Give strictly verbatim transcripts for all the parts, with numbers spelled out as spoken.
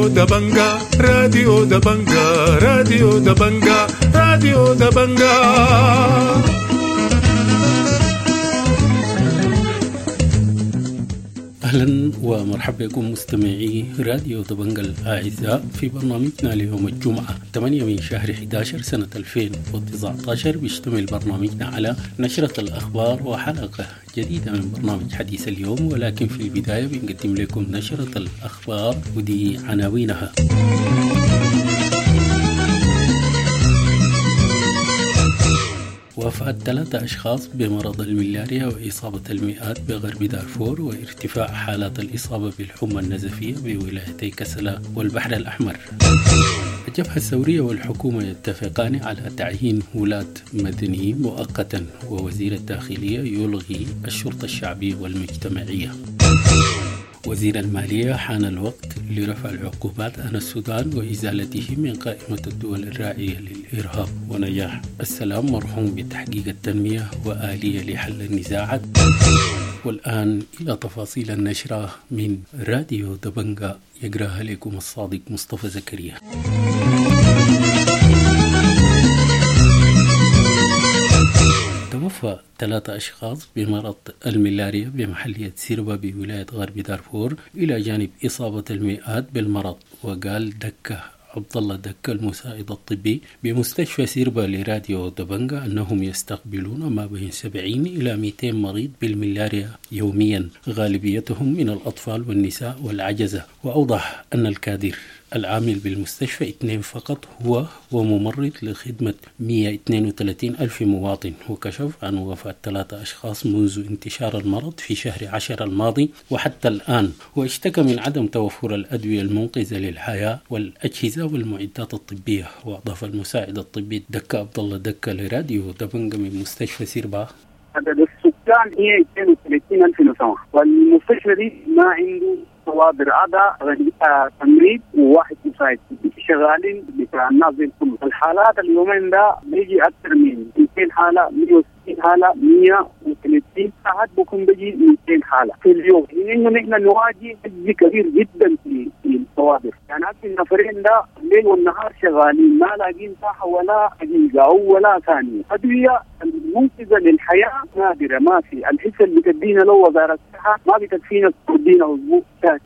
راديو دبنجا راديو دبنجا راديو دبنجا راديو دبنجا. أهلا ومرحبا بكم مستمعي راديو دبنجا الأعزاء في برنامجنا ليوم الجمعة ثمانية من شهر أحد عشر سنة ألفين وتسعة عشر. بيشتمل برنامجنا على نشرة الأخبار وحلقة جديدة من برنامج حديث اليوم، ولكن في البداية بنقدم لكم نشرة الأخبار ودي عناوينها. وفاة ثلاثة أشخاص بمرض الملاريا وإصابة المئات بغرب دارفور وارتفاع حالات الإصابة بالحمى النزفية بولايتي كسلا والبحر الأحمر. الجبهة الثورية والحكومة يتفقان على تعيين ولاة مدنيين مؤقتا، ووزير الداخلية يلغي الشرطة الشعبية والمجتمعية. وزير المالية حان الوقت لرفع العقوبات عن السودان وإزالته من قائمة الدول الراعية للإرهاب. ونجاح السلام مرحوم بتحقيق التنمية وآلية لحل النزاعات. والآن إلى تفاصيل النشرة من راديو دبنجا يقراها لكم الصادق مصطفى زكريا. توفى ثلاثة أشخاص بمرض الملاريا بمحلية سيربا بولاية غرب دارفور إلى جانب إصابة المئات بالمرض. وقال دكة عبد الله دكة المساعد الطبي بمستشفى سيربا لراديو دبنجا أنهم يستقبلون ما بين سبعين إلى مئتين مريض بالملاريا يوميا، غالبيتهم من الأطفال والنساء والعجزة. وأوضح أن الكادر العامل بالمستشفى اثنين فقط هو وممرض لخدمة مئة واثنين وثلاثين ألف مواطن. وكشف عن وفاة ثلاثة أشخاص منذ انتشار المرض في شهر عشر الماضي وحتى الآن. واشتكى من عدم توفر الأدوية المنقذة للحياة والأجهزة والمعدات الطبية. وأضاف المساعد الطبي دكة عبد الله دكة لراديو دبنجا من مستشفى سيربا: عدد السكان هي اثنين وثلاثين ألف نسمة، والمستشفى دي ما عنده كوادر عدا تمريض وواحد مساعد، شغالين بتاع الناس دي كله. الحالات اليومين ده بيجي اكثر من مئتين حاله، مئة وستين حاله، مئة وثلاثين ساعات بكون بيجي مئتين حاله في اليوم. انه نحن نواجه عجز كبير جدا في في الكوادر، يعني هسه النفرين ده الليل والنهار شغالين ما لاقين ساحه ولا دقيقه او ولا ثانيه. ادويه المنقذه للحياه نادره، ما في. الحصه اللي بتدينا لو وزاره الصحه ما بتكفينا، تدينا اسبوع.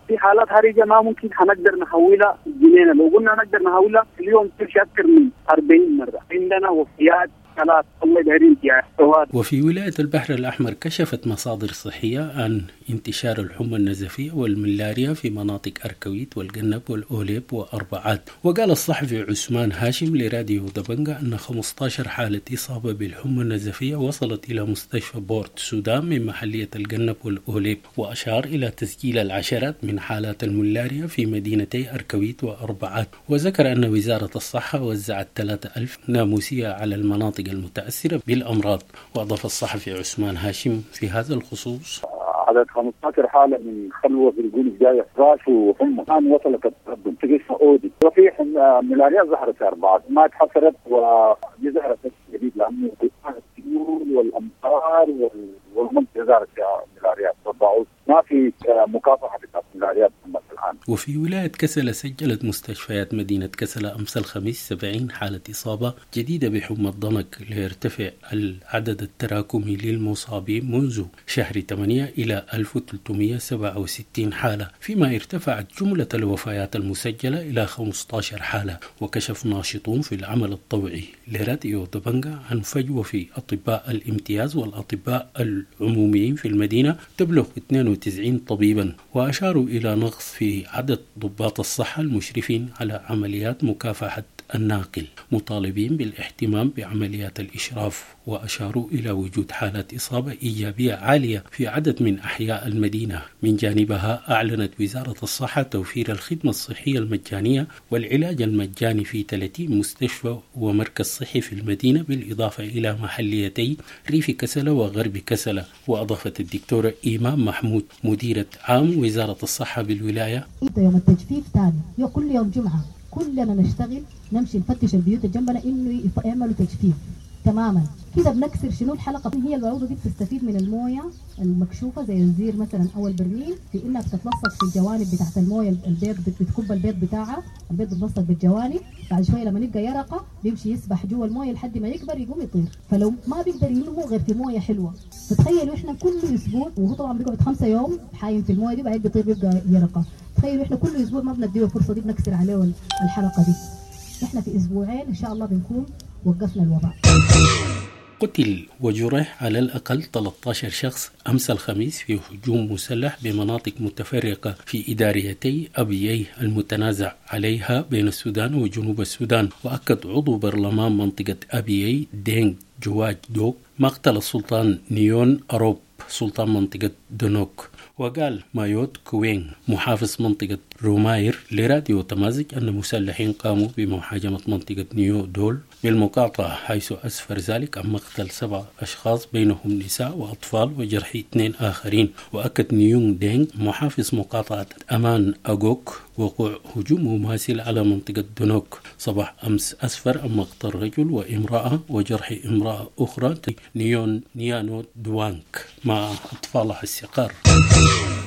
في حالات حرجه ما ممكن حنقدر نحولها جنينه، لو قلنا نقدر نحولها في اليوم تمشي اكثر من أربعين مره. عندنا وفيات ثلاث الله دايرين. وفي ولاية البحر الأحمر كشفت مصادر صحية عن انتشار الحمى النزفية والملاريا في مناطق أركويت والقنب والأوليب وأربعات. وقال الصحفي عثمان هاشم لراديو دبنجا أن خمسة عشر حالة إصابة بالحمى النزفية وصلت إلى مستشفى بورت سودان من محلية القنب والأوليب، وأشار إلى تسجيل العشرات من حالات الملاريا في مدينتي أركويت وأربعات. وذكر أن وزارة الصحة وزعت ثلاثة ألف ناموسية على المناطق المتأثرة بالأمراض. وأضاف الصحفي عثمان هاشم في هذا الخصوص: عدد خمسة عشر حالة من خلوة في الجول الجاية فراش وحمى الآن وصلت التقدم تقيس أودي. وفي ملاريا ظهرت في أربعة ما تحصرت، ودي ظهرت جديد لأنه السيول والأمطار والمنطقة ظهرت فيها ملاريا والبعوض، ما في مكافحة بتاعت ملاريا الآن. وفي ولاية كسلا سجلت مستشفيات مدينة كسلا أمس الخميس سبعين حالة إصابة جديدة بحمى الضنك، ليرتفع العدد التراكمي للمصابين منذ شهر ثمانية إلى ألف وثلاثمئة وسبعة وستين حالة، فيما ارتفعت جملة الوفيات المسجلة إلى خمسة عشر حالة. وكشف ناشطون في العمل الطوعي لراديو دبنجا عن فجوة في أطباء الامتياز والأطباء العموميين في المدينة تبلغ اثنين وتسعين طبيبا، وأشاروا إلى نقص في عدد ضباط الصحة المشرفين على عمليات مكافحة الناقل، مطالبين بالاهتمام بعمليات الإشراف. وأشاروا إلى وجود حالات إصابة إيجابية عالية في عدد من أحياء المدينة. من جانبها أعلنت وزارة الصحة توفير الخدمة الصحية المجانية والعلاج المجاني في ثلاثين مستشفى ومركز صحي في المدينة، بالإضافة إلى محليتي ريف كسلة وغرب كسلة. وأضافت الدكتورة إيمان محمود مديرة عام وزارة الصحة بالولاية: يوم التجفيف ثاني كل يوم جمعة كلنا نشتغل، نمشي نفتش البيوت جنبنا انه يعملوا تجفيف. تماما. كده بنكسر شنو الحلقة؟ هي البعوضة دي بتستفيد من المويه المكشوفه زي الزير مثلا او البرميل في انها بتتلصق في الجوانب بتاعت المويه، البيض بتكب البيض بتاعها، البيض بيتلصق بالجوانب، بعد شوية لما يبقى يرقه بيمشي يسبح جوا المويه لحد ما يكبر يقوم يطير، فلو ما بيقدر ينمو غير في مويه حلوة. فتخيلوا احنا كل اسبوع، وهو طبعا بيقعد خمسة يوم حايم في المويه دي بعدين بيطير بيبقى يرقه، تخيلوا احنا كل اسبوع ما بنديه الفرصة دي، بنكسر عليه الحلقة دي. احنا في اسبوعين ان شاء الله بنكون وقفنا الوباء. قتل وجرح على الأقل ثلاثة عشر شخص أمس الخميس في هجوم مسلح بمناطق متفرقة في إداريتي أبيي المتنازع عليها بين السودان وجنوب السودان. وأكد عضو برلمان منطقة أبيي دينغ جواج دوك مقتل السلطان نيون أروب سلطان منطقة دونوك. وقال مايوت كوين محافظ منطقة روماير لراديو تمازج أن مسلحين قاموا بمهاجمة منطقة نيو دول بالمقاطعة، حيث أسفر ذلك عن مقتل سبع أشخاص بينهم نساء وأطفال وجرح اثنين آخرين. وأكد نيونغ دينغ محافظ مقاطعة أمان أغوك وقوع هجوم مماثل على منطقة دونوك صباح أمس أسفر عن مقتل رجل وامرأة وجرح امرأة أخرى نيون نيانو دوانك مع أطفالها الصغار.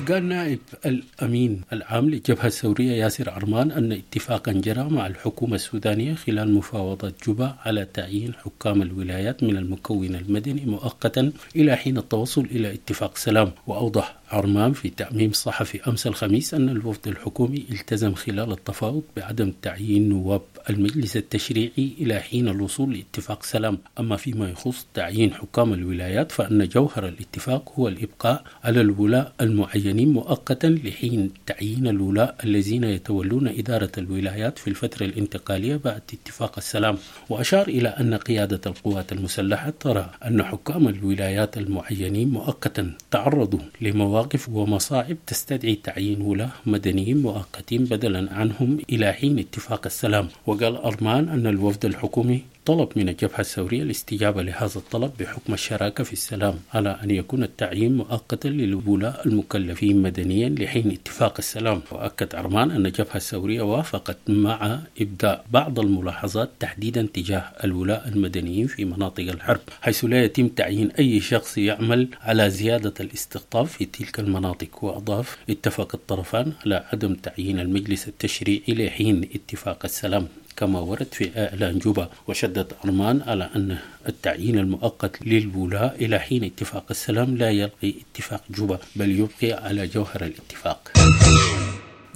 قال نائب الأمين العام للجبهة الثورية ياسر عرمان أن اتفاقا جرى مع الحكومة السودانية خلال مفاوضات جوبا على تعيين حكام الولايات من المكون المدني مؤقتا إلى حين التوصل إلى اتفاق سلام. وأوضح عرمان في تعميم صحفي أمس الخميس أن الوفد الحكومي التزم خلال التفاوض بعدم تعيين نواب المجلس التشريعي إلى حين الوصول لاتفاق سلام. أما فيما يخص تعيين حكام الولايات فأن جوهر الاتفاق هو الإبقاء على الولاء المعينين مؤقتا لحين تعيين الولاء الذين يتولون إدارة الولايات في الفترة الانتقالية بعد اتفاق السلام. وأشار إلى أن قيادة القوات المسلحة ترى أن حكام الولايات المعينين مؤقتا تعرضوا لمواقف ومصاعب تستدعي تعيين ولاة مدنيين مؤقتين بدلا عنهم إلى حين اتفاق السلام. وقال أرمان أن الوفد الحكومي طلب من الجبهة الثورية الاستجابة لهذا الطلب بحكم الشراكة في السلام على أن يكون التعيين مؤقتا للولاء المكلفين مدنيا لحين اتفاق السلام. وأكد عرمان أن الجبهة الثورية وافقت مع إبداء بعض الملاحظات تحديدا تجاه الولاء المدنيين في مناطق الحرب، حيث لا يتم تعيين أي شخص يعمل على زيادة الاستقطاب في تلك المناطق. وأضاف اتفق الطرفان على عدم تعيين المجلس التشريعي لحين اتفاق السلام كما ورد في إعلان جوبا. وشدد عرمان على أن التعيين المؤقت للولاء إلى حين اتفاق السلام لا يلغي اتفاق جوبا بل يبقي على جوهر الاتفاق.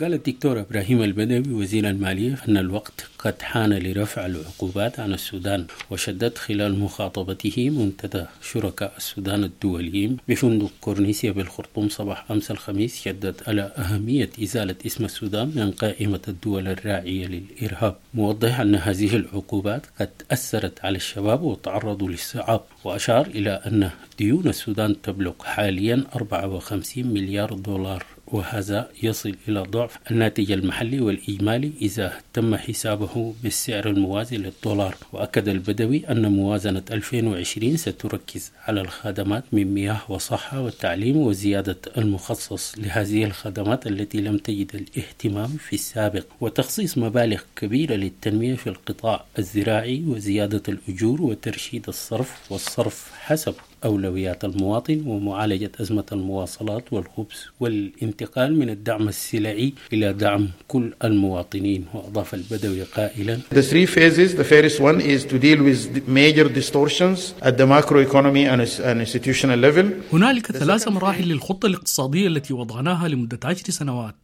قال الدكتور إبراهيم البدوي وزير المالية أن الوقت قد حان لرفع العقوبات عن السودان. وشدد خلال مخاطبته منتدى شركاء السودان الدوليين بفندق كورنيسيا بالخرطوم صباح أمس الخميس، شدد على أهمية إزالة اسم السودان من قائمة الدول الراعية للإرهاب، موضح أن هذه العقوبات قد أثرت على الشباب وتعرضوا للصعاب. وأشار إلى أن ديون السودان تبلغ حاليا أربعة وخمسين مليار دولار، وهذا يصل إلى ضعف الناتج المحلي والإجمالي إذا تم حسابه بالسعر الموازي للدولار. وأكد البدوي أن موازنة ألفين وعشرين ستركز على الخدمات من مياه وصحة والتعليم وزيادة المخصص لهذه الخدمات التي لم تجد الاهتمام في السابق، وتخصيص مبالغ كبيرة للتنمية في القطاع الزراعي وزيادة الأجور وترشيد الصرف والصرف حسب أولويات المواطن ومعالجة أزمة المواصلات والخبز والانتقال من الدعم السلعي إلى دعم كل المواطنين. وأضاف البدوي قائلا: The three phases, the first one is to deal with major distortions at the macroeconomy and institutional level. هنالك ثلاث مراحل للخطة الاقتصادية التي وضعناها لمدة عشر سنوات.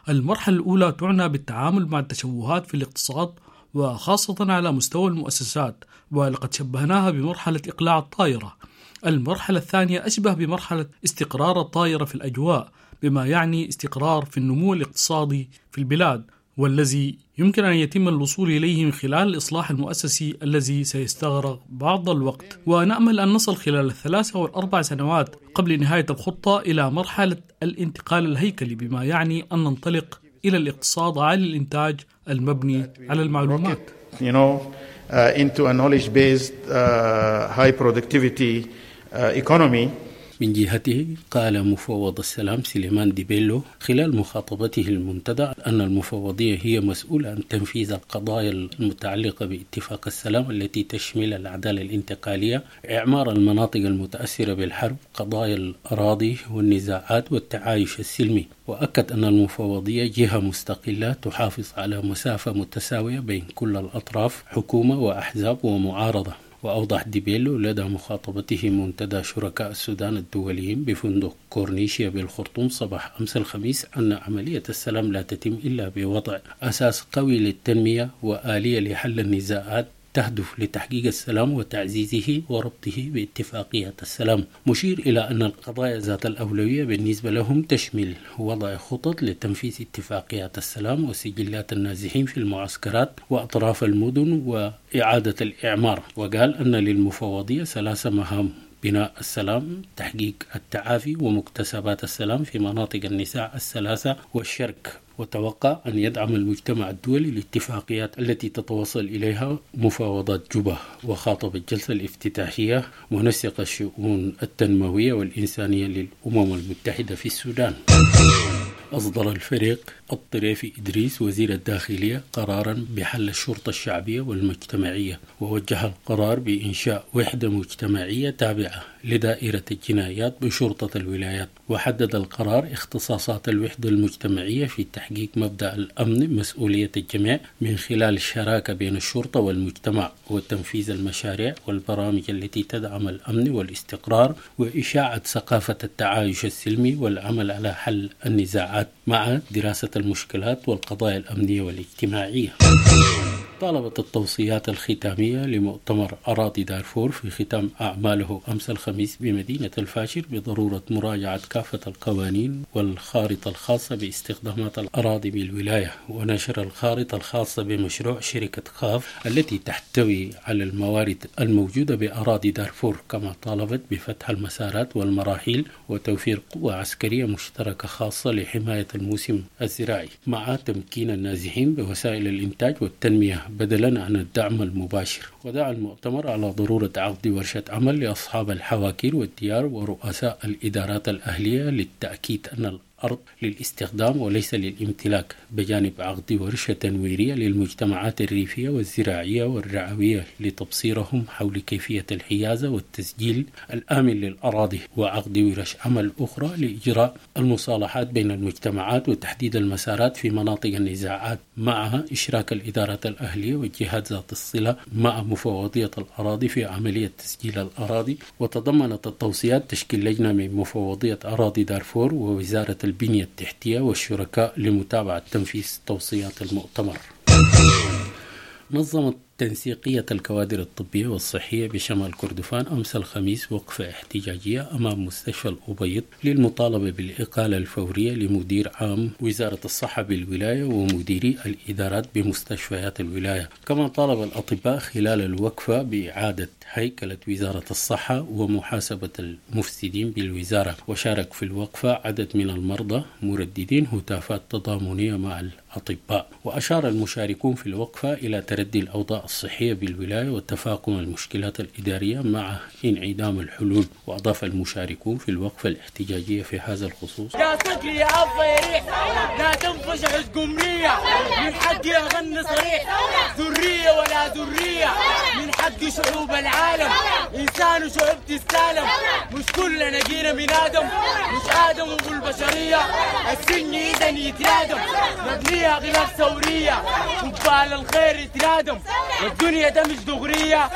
المرحلة الأولى تعنى بالتعامل مع التشوهات في الاقتصاد وخاصة على مستوى المؤسسات، ولقد شبهناها بمرحلة إقلاع الطائرة. المرحلة الثانية أشبه بمرحلة استقرار الطائرة في الأجواء، بما يعني استقرار في النمو الاقتصادي في البلاد، والذي يمكن أن يتم الوصول إليه من خلال الإصلاح المؤسسي الذي سيستغرق بعض الوقت. ونأمل أن نصل خلال الثلاث أو الأربع سنوات قبل نهاية الخطة إلى مرحلة الانتقال الهيكلي، بما يعني أن ننطلق إلى الاقتصاد عالي الإنتاج المبني على المعلومات. You know, uh, into a knowledge-based uh, high productivity economy. من جهته قال مفوض السلام سليمان ديبيلو خلال مخاطبته المنتدى أن المفوضية هي مسؤولة عن تنفيذ القضايا المتعلقة باتفاق السلام التي تشمل العدالة الانتقالية، إعمار المناطق المتأثرة بالحرب، قضايا الأراضي والنزاعات والتعايش السلمي. وأكد أن المفوضية جهة مستقلة تحافظ على مسافة متساوية بين كل الأطراف، حكومة وأحزاب ومعارضة. وأوضح ديبيلو لدى مخاطبته منتدى شركاء السودان الدوليين بفندق كورنيشيا بالخرطوم صباح أمس الخميس أن عملية السلام لا تتم إلا بوضع أساس قوي للتنمية وآلية لحل النزاعات تهدف لتحقيق السلام وتعزيزه وربطه باتفاقية السلام، مشير إلى أن القضايا ذات الأولوية بالنسبة لهم تشمل وضع خطط لتنفيذ اتفاقيات السلام وسجلات النازحين في المعسكرات وأطراف المدن وإعادة الإعمار. وقال أن للمفوضية ثلاث مهام: بناء السلام، تحقيق التعافي، ومكتسبات السلام في مناطق النزاع الثلاثة والشرق. وتوقع أن يدعم المجتمع الدولي الاتفاقيات التي تتوصل إليها مفاوضات جوبا. وخاطب الجلسة الافتتاحية منسق الشؤون التنموية والإنسانية للأمم المتحدة في السودان. أصدر الفريق الطريفي إدريس وزير الداخلية قرارا بحل الشرطة الشعبية والمجتمعية، ووجه القرار بإنشاء وحدة مجتمعية تابعة لدائرة الجنايات بشرطة الولايات. وحدد القرار اختصاصات الوحدة المجتمعية في تحقيق مبدأ الأمن مسؤولية الجميع من خلال الشراكة بين الشرطة والمجتمع وتنفيذ المشاريع والبرامج التي تدعم الأمن والاستقرار وإشاعة ثقافة التعايش السلمي والعمل على حل النزاعات مع دراسة المشكلات والقضايا الأمنية والاجتماعية. طالبت التوصيات الختامية لمؤتمر أراضي دارفور في ختام أعماله أمس الخميس بمدينة الفاشر بضرورة مراجعة كافة القوانين والخارطة الخاصة باستخدامات الأراضي بالولاية، ونشر الخارطة الخاصة بمشروع شركة خاف التي تحتوي على الموارد الموجودة بأراضي دارفور. كما طالبت بفتح المسارات والمراحل وتوفير قوة عسكرية مشتركة خاصة لحماية الموسم الزراعي مع تمكين النازحين بوسائل الإنتاج والتنمية بدلا عن الدعم المباشر. ودعا المؤتمر على ضرورة عقد ورشة عمل لأصحاب الحواكير والديار ورؤساء الإدارات الأهلية للتأكيد أن الأرض للاستخدام وليس للامتلاك، بجانب عقد ورشة تنويرية للمجتمعات الريفية والزراعية والرعوية لتبصيرهم حول كيفية الحيازة والتسجيل الآمن للأراضي، وعقد ورش عمل أخرى لإجراء المصالحات بين المجتمعات وتحديد المسارات في مناطق النزاعات مع إشراك الإدارات الأهلية والجهات ذات الصلة مع مفوضية الأراضي في عملية تسجيل الأراضي. وتضمنت التوصيات تشكيل لجنة من مفوضية أراضي دارفور ووزارة البنية التحتية والشركاء لمتابعة تنفيذ توصيات المؤتمر. نظمت تنسيقية الكوادر الطبية والصحية بشمال كردفان أمس الخميس وقفة احتجاجية أمام مستشفى الأبيض للمطالبة بالإقالة الفورية لمدير عام وزارة الصحة بالولاية ومديري الإدارات بمستشفيات الولاية. كما طالب الأطباء خلال الوقفة بإعادة هيكلة وزارة الصحة ومحاسبة المفسدين بالوزارة. وشارك في الوقفة عدد من المرضى مرددين هتافات تضامنية مع الأطباء. وأشار المشاركون في الوقفة إلى تردي الأوضاع الصحية بالولاية وتفاقم المشكلات الإدارية مع انعدام الحلول. وأضاف المشاركون في الوقفة الاحتجاجية في هذا الخصوص: يا صقري يا أبا يا ريح لا تنفش قمرية، من حقي أغني صريح، ذرية ولا ذرية، من حق شعوب العالم، إنسان وشعوب تستالم، مش كلنا جينا من آدم، مش آدم وابو البشرية، السن إذا يترادم، مبنية غلاف ثورية، وبال الخير يترادم، والدنيا ده مش دغرية،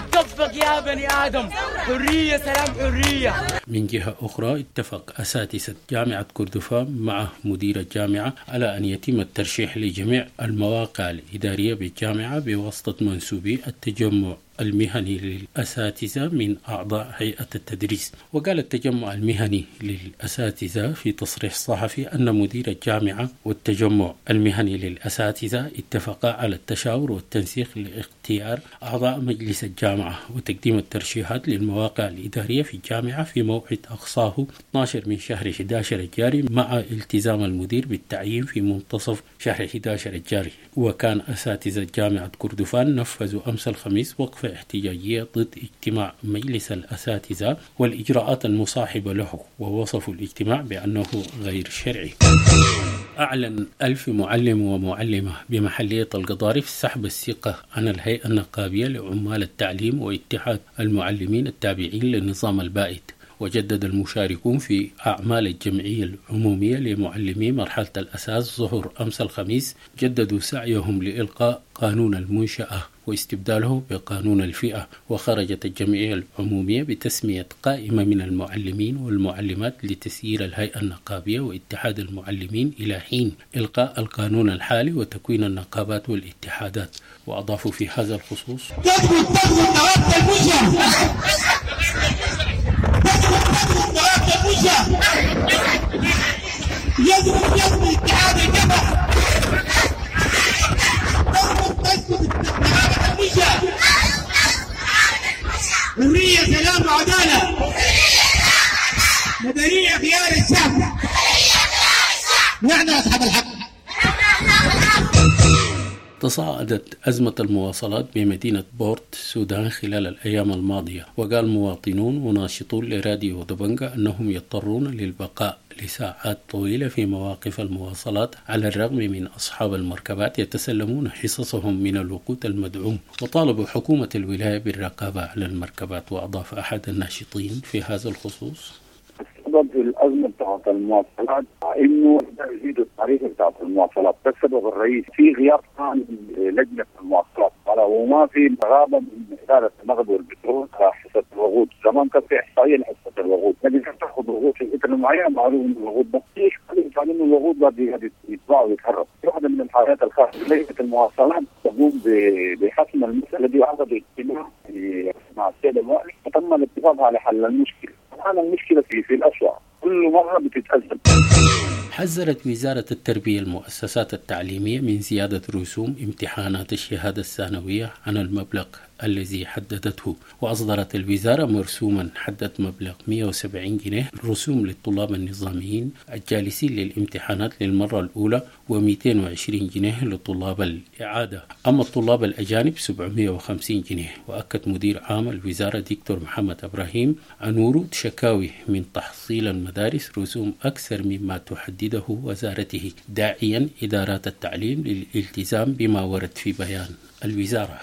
بتطبق يا بني آدم، حرية سلام حرية. من جهة أخرى اتفق أساتذة جامعة كردفان مع مدير الجامعة على أن يتم الترشيح لجميع المواقع الإدارية بالجامعة بواسطة منسوبي التجمع المهني للأساتذة من أعضاء هيئة التدريس. وقال التجمع المهني للأساتذة في تصريح صحفي أن مدير الجامعة والتجمع المهني للأساتذة اتفقا على التشاور والتنسيق لاختيار أعضاء مجلس الجامعة وتقديم الترشيحات للمواقع الإدارية في الجامعة في موعد أقصاه اثني عشر من شهر أحد عشر الجاري، مع التزام المدير بالتعيين في منتصف شهر أحد عشر الجاري. وكان أساتذة جامعة كردفان نفذوا أمس الخميس وقفة وقفة احتجاجية ضد اجتماع مجلس الأساتذة والإجراءات المصاحبة له، ووصفوا الاجتماع بأنه غير شرعي. أعلن ألف معلم ومعلمة بمحلية القضارف سحب الثقة عن الهيئة النقابية لعمال التعليم واتحاد المعلمين التابعين للنظام البائد. وجدد المشاركون في أعمال الجمعية العمومية لمعلمي مرحلة الأساس ظهر أمس الخميس جددوا سعيهم لإلقاء قانون المنشأة واستبداله بقانون الفئة. وخرجت الجمعية العمومية بتسمية قائمة من المعلمين والمعلمات لتسيير الهيئة النقابية واتحاد المعلمين إلى حين إلقاء القانون الحالي وتكوين النقابات والاتحادات. وأضافوا في هذا الخصوص: حرية سلام وعدالة مدنية خيار الشعب، نحن أصحاب الحق. تصاعدت أزمة المواصلات بمدينة بورت السودان خلال الأيام الماضية، وقال مواطنون وناشطون لراديو دبنجا أنهم يضطرون للبقاء لساعات طويلة في مواقف المواصلات على الرغم من أصحاب المركبات يتسلمون حصصهم من الوقود المدعوم، وطالبوا حكومة الولاية بالرقابة على المركبات. وأضاف أحد الناشطين في هذا الخصوص: السبب في الأزمة بتاعت المواصلات إنه يزيدوا التعريف بتاعت المواصلات، ده السبب الرئيسي. في غياب كان لجنة المواصلات وما في رغابة من إدارة النقل والبترول على حصة الوقود. زمان كان في إحصائية لحصة الوقود، لكن كانت تأخذ وقود في فترة معينة معلوم إنه الوقود ده في إشكالية إنه الوقود ده يتباع ويتهرب. واحدة من الحاجات الخاصة لجنة المواصلات تقوم بحسم المسألة دي، وعقدوا اجتماع مع السيد الوالي وتم الاتفاق على حل المشكلة. الآن المشكلة في في الأسوأ كل مرة بتتأزم. حذرت وزارة التربية المؤسسات التعليمية من زيادة رسوم امتحانات الشهادة الثانوية عن المبلغ الذي حددته، وأصدرت الوزارة مرسوما حدد مبلغ مئة وسبعين جنيه رسوم للطلاب النظاميين الجالسين للامتحانات للمرة الأولى ومئتين وعشرين جنيه لطلاب الإعادة، أما الطلاب الأجانب سبعمئة وخمسين جنيه. وأكد مدير عام الوزارة دكتور محمد إبراهيم عن ورود شكاوي من تحصيل المدارس رسوم أكثر مما تحدده وزارته، داعيا إدارات التعليم للالتزام بما ورد في بيان الوزارة.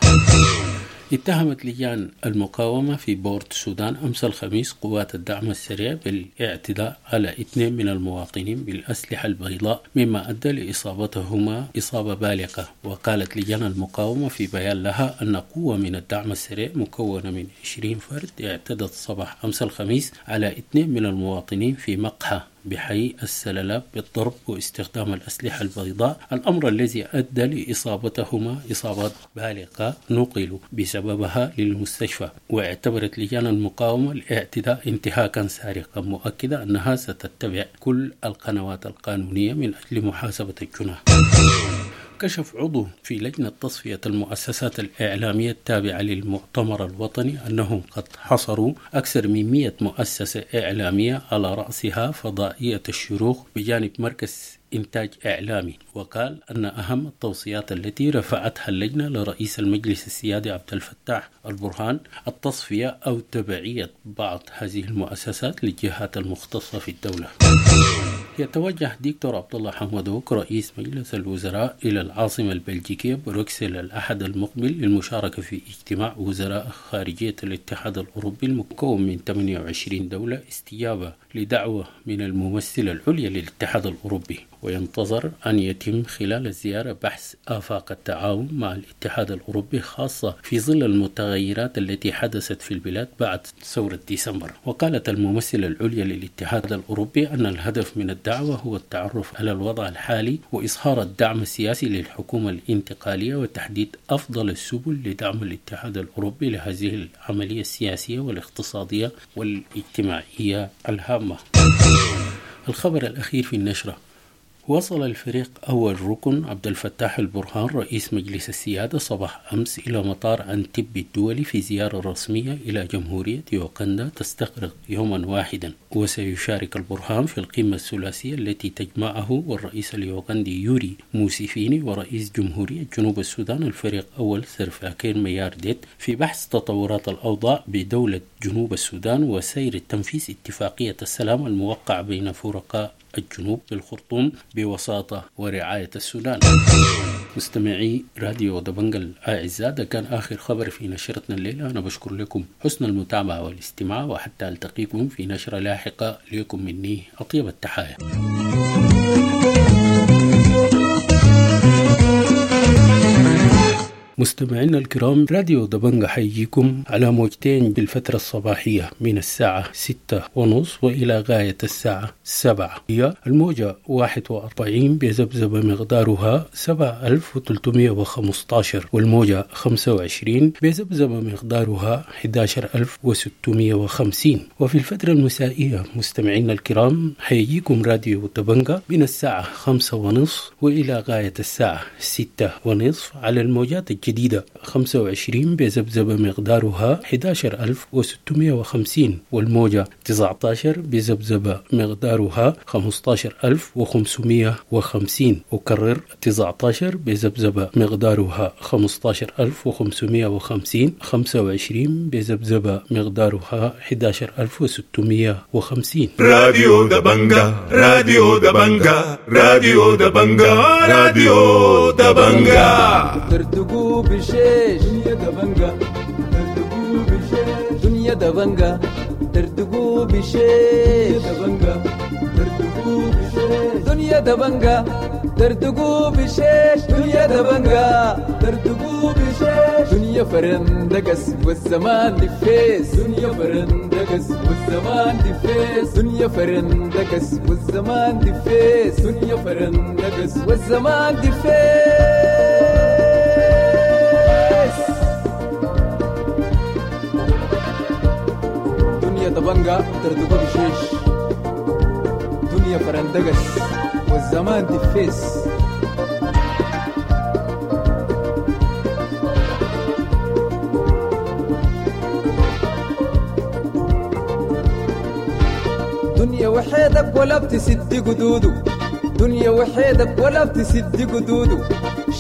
اتهمت لجان المقاومة في بورت السودان أمس الخميس قوات الدعم السريع بالاعتداء على اثنين من المواطنين بالأسلحة البيضاء مما أدى لإصابتهما إصابة بالغة. وقالت لجان المقاومة في بيان لها أن قوة من الدعم السريع مكونة من عشرين فرد اعتدت صباح أمس الخميس على اثنين من المواطنين في مقهى بحي السلالات بالضرب واستخدام الأسلحة البيضاء، الأمر الذي أدى لإصابتهما إصابات بالغة نقلوا بسببها للمستشفى. واعتبرت لجان المقاومة الاعتداء انتهاكا سارقا، مؤكدة أنها ستتبع كل القنوات القانونية من أجل محاسبة الجناه. كشف عضو في لجنة تصفية المؤسسات الإعلامية التابعة للمؤتمر الوطني أنهم قد حصروا أكثر من مئة مؤسسة إعلامية على رأسها فضائية الشروق بجانب مركز إنتاج إعلامي. وقال أن أهم التوصيات التي رفعتها اللجنة لرئيس المجلس السيادي عبد الفتاح البرهان التصفية أو تبعية بعض هذه المؤسسات للجهات المختصة في الدولة. يتوجه دكتور عبد الله حمدوك رئيس مجلس الوزراء إلى العاصمة البلجيكية بروكسل الأحد المقبل للمشاركة في اجتماع وزراء خارجية الاتحاد الأوروبي المكون من ثمانية وعشرين دولة استجابة لدعوة من الممثلة العليا للاتحاد الأوروبي. وينتظر أن يتم خلال الزيارة بحث آفاق التعاون مع الاتحاد الأوروبي خاصة في ظل المتغيرات التي حدثت في البلاد بعد ثورة ديسمبر. وقالت الممثلة العليا للاتحاد الأوروبي أن الهدف من الدعوة هو التعرف على الوضع الحالي وإظهار الدعم السياسي للحكومة الانتقالية وتحديد أفضل السبل لدعم الاتحاد الأوروبي لهذه العملية السياسية والاقتصادية والاجتماعية الهامة. الخبر الأخير في النشرة وصل الفريق أول ركن عبد الفتاح البرهان رئيس مجلس السيادة صباح أمس إلى مطار عنتبي الدولي في زيارة رسمية إلى جمهورية يوغندا تستغرق يوما واحدا، وسيشارك البرهان في القمة الثلاثية التي تجمعه والرئيس اليوغندي يوري موسيفيني ورئيس جمهورية جنوب السودان الفريق أول سلفاكير ميارديت في بحث تطورات الأوضاع بدولة جنوب السودان وسير تنفيذ اتفاقية السلام الموقع بين فرقاء الجنوب بالخرطوم بوساطة ورعاية السودان. مستمعي راديو دبنجا الأعزاء، ده كان آخر خبر في نشرتنا الليلة. أنا بشكر لكم حسن المتابعة والاستماع، وحتى ألتقيكم في نشرة لاحقة. لكم مني أطيب التحايا. مستمعينا الكرام، راديو دبنجا حيجيكم على موجتين بالفترة الصباحية من الساعة ستة ونص وإلى غاية الساعة سبعة. هي الموجة واحد وأربعين بذبذبة مقدارها سبعة ألف وثلاثمائة وخمسة عشر، والموجة خمسة وعشرين بذبذبة مقدارها أحد عشر ألف وستمائة وخمسين. وفي الفترة المسائية مستمعينا الكرام حيجيكم راديو دبنجا من الساعة خمسة ونصف وإلى غاية الساعة ستة ونصف على الموجات الجديدة خمسة وعشرين بذبذبة مقدارها أحد عشر ألف وستمائة وخمسين، والموجة تسعة عشر بذبذبة مقدارها خمسة عشر ألف وخمسمائة وخمسين. أكرر، تسعة عشر بذبذبة مقدارها خمسة عشر ألف وخمسمائة وخمسين، خمسة وعشرين بذبذبة مقدارها أحد عشر ألف وستمائة وخمسين. راديو دبنجا، راديو دبنجا، راديو دبنجا، راديو دبنجا. ترتقوا بشيش دنيا دبنجا، ترتقوا بشيش دنيا دبنجا، ترتقوا بشيش دبنجا، ترتقوا بشيش دنيا دبنجا، ترتقوا بشيش دنيا دبنجا، ترتقوا بشيش دنيا فرندقس والزمان دفيس، دنيا فرندقس والزمان دفيس، دنيا فرندقس والزمان دفيس، دنيا فرندقس والزمان دفيس. دنيا دبنجا ترتقوا بشيش دنيا فرندقس والزمان دفيس. دنيا وحيدك ولا بتسد قدوده، دنيا وحيدك ولا بتسد قدوده،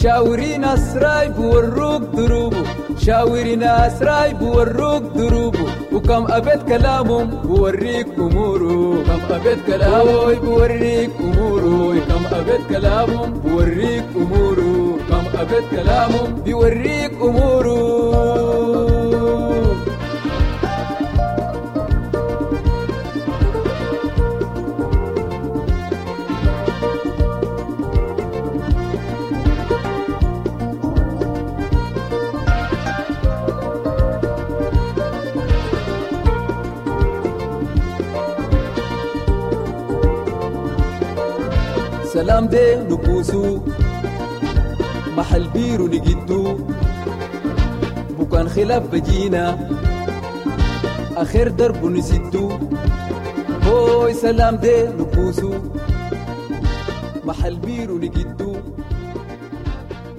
شاوري ناس رايب وروك دروبه، شاوري ناس رايب وروك دروبه، وكم أبيت كلامهم بوريك أموره، كم أبيت كلامه بوريك أموره، كم أبيت كلامهم بوريك أموره، كم أبيت كلامهم بيوريك أموره. سلام دي نكوسو محل بيرو نجدو، بكان خلاف بجينا آخر درب نسدو، هوي سلام دي نكوسو محل بيرو نجدو،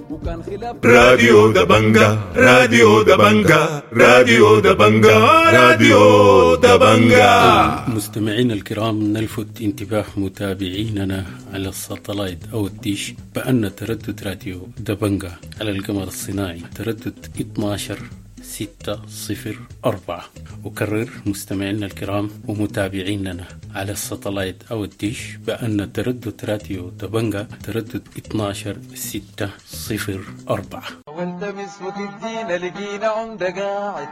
بكان خلاف. راديو دبنجا، راديو دبنجا، راديو دبنجا، راديو دبنجا. مستمعينا الكرام، نلفت انتباه متابعيننا على الساتلايت أو الديش بأن تردد راديو دبنجا على القمر الصناعي تردد اثنا عشر ستة صفر أربعة. أكرر مستمعينا الكرام ومتابعيننا على الساتلايت أو الديش بأن تردد راديو دبنجا تردد اثنا عشر ستة صفر أربعة. والتمس وتدينا لقينا عمدة قاعد،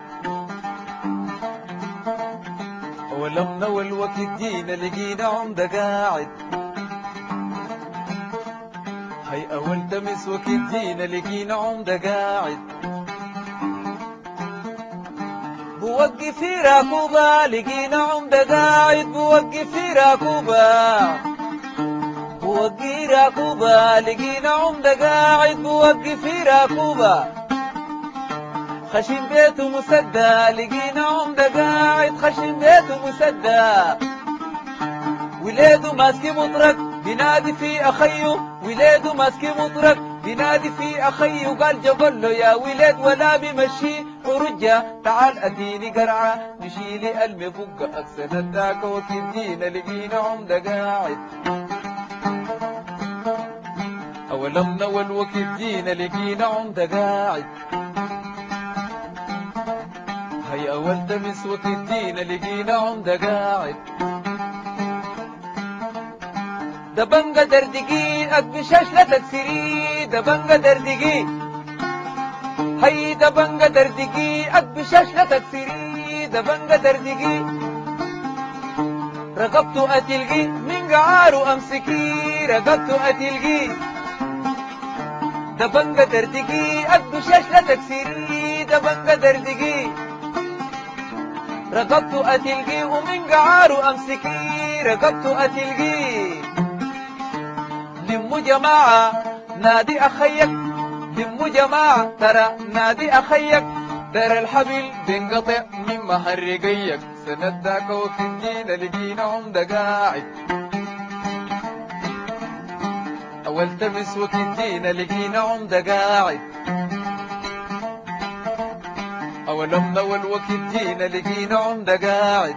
ولمنا والوقت جينا لقينا عمدة قاعد، هاي أول تمس وقت جينا لقينا عمدة قاعد، بوقف في راكوبة لقينا عمدة قاعد، بوقف في راكوبة، بوقف راكوبة لقينا عمدة قاعد، بوقف في راكوبة، خشم بيته مسدى لقينا عمدة قاعد، خشم بيته مسدى، وليده ماسك مطرق بينادي في أخيه وليده ماسك مطرق، بينادي في أخيه قال جبل له يا ولاد ولا بمشي ورجع تعال أديني قرعة نشيلي المفقة أكسن الداك وكدينا لقينا عمدة قاعد. أولمنا والوكيد جينا لقينا عمدة قاعد. هيا أول تمس وكيد جينا لقينا عمدة قاعد. دبنجة دردقي أكبشاش لا تكسري دبنجة دردقي، هي دبنجة دردقي أكبشاش لا تكسري دبنجة دردقي، رقبته أتلقي من قعاره أمسكي رقبته أتلقي، دبنجة دردقي أكبشاش لا تكسري دبنجة دردقي، رقبته أتلقي ومن قعاره أمسكي رقبته أتلقي. لمو جماعة نادي أخيك، لمو جماعة ترى نادي أخيك، ترى الحبل بينقطع من مهرقيك، سنداك وكدينا لقينا عمدة قاعد. أول تمس وكدينا لقينا عمدة قاعد. أول أمنا والوكدينا لقينا عمدة قاعد.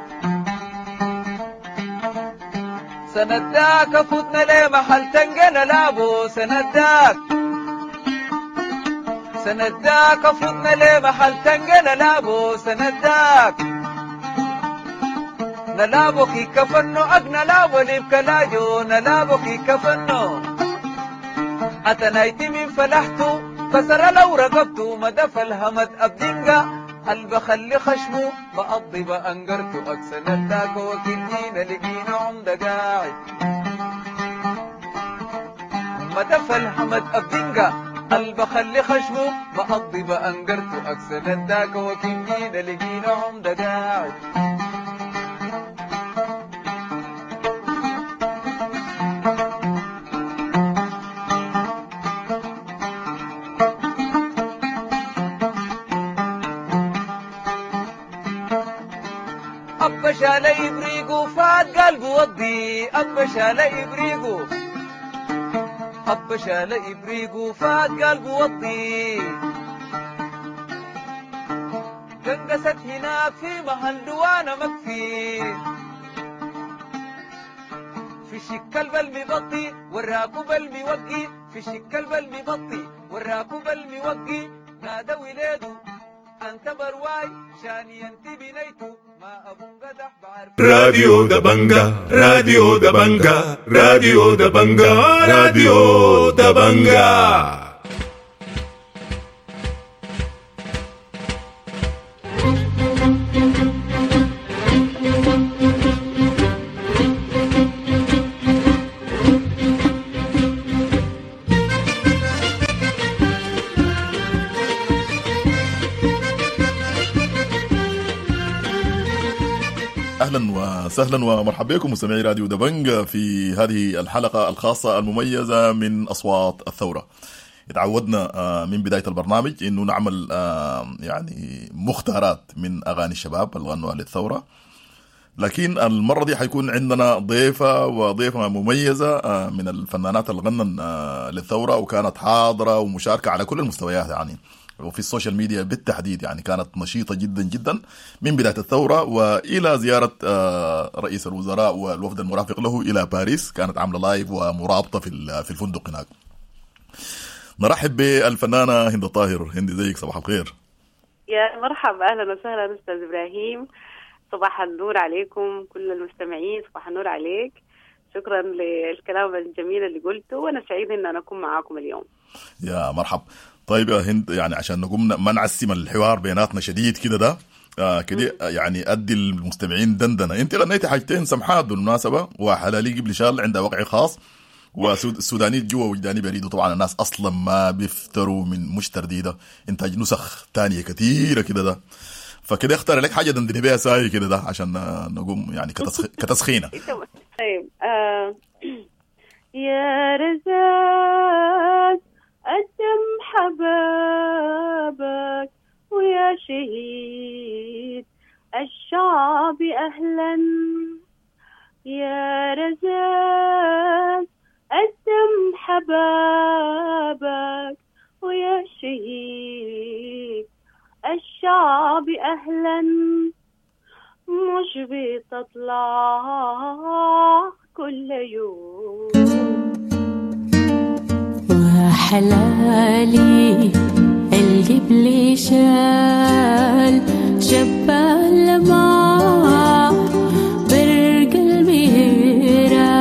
سنداك فوتنا ليه محل تنقنا لابو سنداك، سنداك فوتنا ليه محل تنقنا لابو سنداك، نلابو كي كفنو أقنا لابو لبكلاجو نلابو كي كفنو، أتنايتي من فلحتو كسر لو رقبتو مدف الهمد أبدنقا البخلي خشمو بقضي بأنقرتو أكسن الداك وكدينا لقينا عمدة قاعد. مدف الحمد أبدنقا البخلي خشمو بقضي بأنقرتو أكسن الداك وكدينا لقينا عمدة قاعد. أبا شال إبريقو فات قلبه وضي، أبا شال إبريقو، أبا شال إبريقو فات قلبه وضي، قنقست هناك في محل دوانا مكفي، في شك المبطي والراكب الموقي، في شك المبطي والراكب الموقي، نادى وليده أنت برواي شاني أنت بنيتو راديو دبنجا راديو دبنجا راديو دبنجا راديو دبنجا. اهلا وسهلا ومرحبا بكم مستمعي راديو دبنج في هذه الحلقة الخاصة المميزة من اصوات الثورة. اتعودنا من بداية البرنامج انه نعمل يعني مختارات من اغاني الشباب اللي غنوها للثورة، لكن المرة دي حيكون عندنا ضيفه وضيفه مميزة من الفنانات اللي غنن للثورة وكانت حاضره ومشاركة على كل المستويات يعني، وفي ال social media بالتحديد يعني كانت نشيطة جدا جدا من بداية الثورة وإلى زيارة رئيس الوزراء والوفد المرافق له إلى باريس. كانت عاملة live ومرابطة في في الفندق هناك. نرحب بالفنانة هند الطاهر. هند زيك، صباح الخير. يا مرحبا، أهلا وسهلا أستاذ إبراهيم، صباح النور عليكم كل المستمعين، صباح النور عليك. شكرا للكلام الجميل اللي قلته، وأنا سعيدة أن أنا أكون معاكم اليوم. يا مرحب. طيب يا هند، يعني عشان نقوم ما نعسم الحوار بيناتنا شديد كده ده آه كده يعني ادي المستمعين دندنه. انت غنيتي حاجتين سمحات بالمناسبة، وحلالي قبل شال عندها وقع خاص، والسوداني جوا وجداني بريد. وطبعا الناس اصلا ما بيفتروا من مش ترديده، انتاج نسخ تانية كثيرة كده ده، فكده اختار لك حاجة دندني بيها ساي كده ده عشان نقوم يعني كتسخ... كتسخينه. طيب آه. يا رزاق قدم حبابك ويا شهيد الشعب أهلا، يا رزاق حبابك ويا شهيد الشعب أهلا. مش بتطلع كل يوم. وحلالي القبل شال شبال ما برق المهيرة،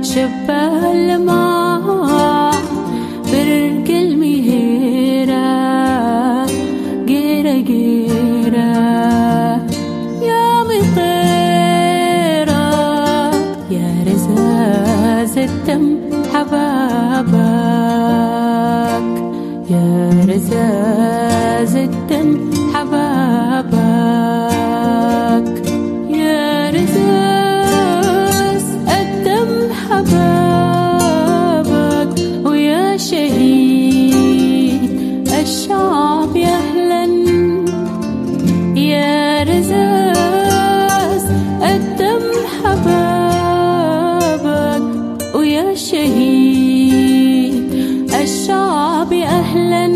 شبال ما برق المهيرة قيرة قيرة يا مطيرة يا رزاز الدم حبابك، يا رزاز الدم حبابك، يا رزاز الدم حبابك ويا شهيد الشعب يا أهلا، يا رزاز الدم حبابك ويا شهيد الشعب أهلا.